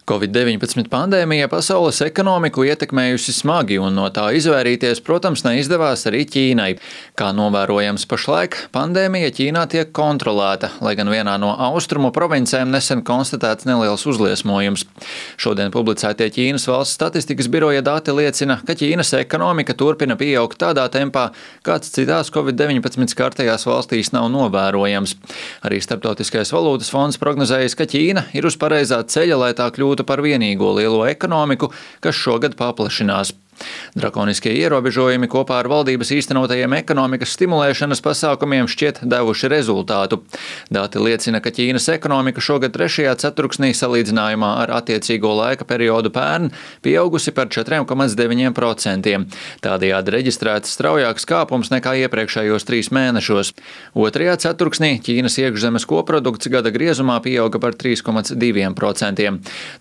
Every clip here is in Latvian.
Covid-19 pandēmija pasaules ekonomiku ietekmējusi smagi, un no tā izvairīties, protams, neizdevās arī Ķīnai. Kā novērojams pašlaik, pandēmija Ķīnā tiek kontrolēta, lai gan vienā no austrumu provincēm nesen konstatēts neliels uzliesmojums. Šodien publicētie Ķīnas valsts statistikas biroja dati liecina, ka Ķīnas ekonomika turpina pieaugt tādā tempā, kāds citās Covid-19 skartajās valstīs nav novērojams. Arī Starptautiskais valūtas fonds prognozējis, ka Ķīna ir uz pareizā ceļa, lai tā kļūtu par vienīgo lielo ekonomiku, kas šogad paplašinās. Drakoniskie ierobežojumi kopā ar valdības īstenotajiem ekonomikas stimulēšanas pasākumiem šķiet devuši rezultātu. Dati liecina, ka Ķīnas ekonomika šogad 3. ceturksnī salīdzinājumā ar attiecīgo laika periodu pērn pieaugusi par 4,9%. Tādējādi reģistrēts straujāks kāpums nekā iepriekšējos 3 mēnešos. 2. ceturksnī Ķīnas iekšzemes koprodukts gada griezumā pieauga par 3,2%.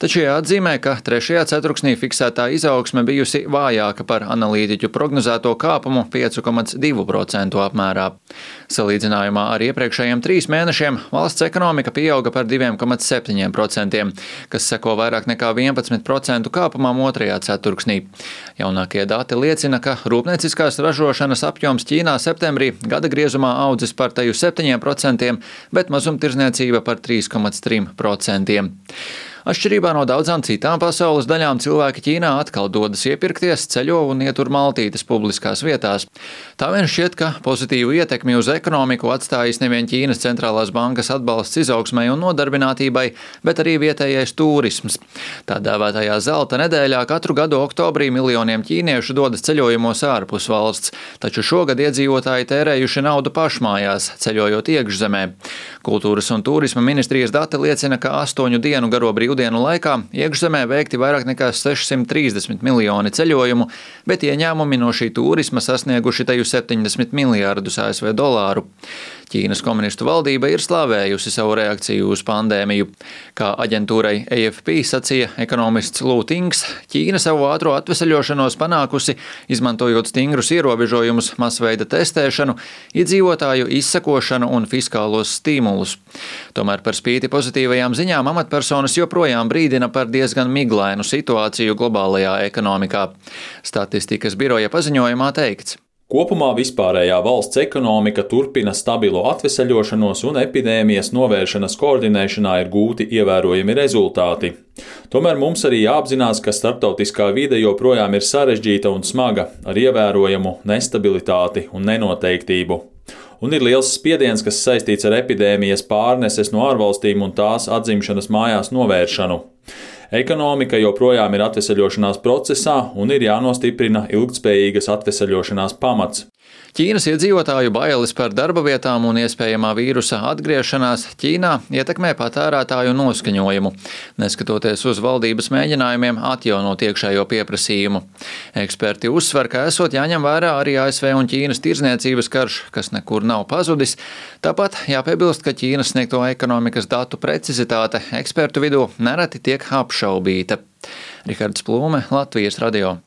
Taču jāatzīmē, ka 3. ceturksnī fiksētā izaugsme bijusi vājāka par analītiķu prognozēto kāpumu 5,2% apmērā. Salīdzinājumā ar iepriekšējiem 3 mēnešiem valsts ekonomika pieauga par 2,7%, kas seko vairāk nekā 11% kāpumam 2. ceturksnī. Jaunākie dati liecina, ka rūpnieciskās ražošanas apjoms Ķīnā septembrī gada griezumā audzis par teju 7%, bet mazumtirdzniecība par 3,3%. Atšķirībā no daudzām citām pasaules daļām cilvēki Ķīnā atkal dodas iepirkties, ceļo un ietur maltītes publiskās vietās. Tā vien šķiet, ka pozitīvu ietekmi uz ekonomiku atstājis nevien Ķīnas centrālās bankas atbalsts izaugsmai un nodarbinātībai, bet arī vietējais turisms. Tā dēvētajā zelta nedēļā katru gadu oktobrī miljoniem ķīniešu dodas ceļojumos ārpus valsts, taču šogad iedzīvotāji tērējuši naudu pašmājās, ceļojot iekšzemē. Kultūras un turisma ministrijas dati liecina, ka 8 dienu garo brīvdienu laikā iekšzemē veikti vairāk nekā 630 miljoni ceļojumu, bet ieņēmumi no šī turisma sasnieguši teju 70 miljārdus ASV dolāru. Ķīnas komunistu valdība ir slavējusi savu reakciju uz pandēmiju. Kā aģentūrai AFP sacīja ekonomists Lū Tings, Ķīna savu ātro atveseļošanos panākusi, izmantojot stingrus ierobežojumus, masveida testēšanu, iedzīvotāju izsekošanu un fiskālos stimulus. Tomēr par spīti pozitīvajām ziņām amatpersonas joprojām brīdina par diezgan miglainu situāciju globālajā ekonomikā. Statistikas biroja paziņojumā teikts: Kopumā vispārējā valsts ekonomika turpina stabilu atveseļošanos un epidēmijas novēršanas koordinēšanā ir gūti ievērojami rezultāti. Tomēr mums arī jāapzinās, ka starptautiskā vide joprojām ir sarežģīta un smaga, ar ievērojamu nestabilitāti un nenoteiktību. Un ir liels spiediens, kas saistīts ar epidēmijas pārneses no ārvalstīm un tās atzimšanas mājās novēršanu. Ekonomika joprojām ir atveseļošanās procesā un ir jānostiprina ilgtspējīgas atveseļošanās pamats. Ķīnas iedzīvotāju bailes par darba vietām un iespējamā vīrusa atgriešanās Ķīnā ietekmē patērētāju noskaņojumu, neskatoties uz valdības mēģinājumiem atjaunot iekšējo pieprasījumu. Eksperti uzsver, ka esot jāņem vērā arī ASV un Ķīnas tirdzniecības karš, kas nekur nav pazudis. Tāpat jāpiebilst, ka Ķīnas sniegto ekonomikas datu precizitāte ekspertu vidū nereti tiek apšaubīta. Rihards Plūme, Latvijas radio.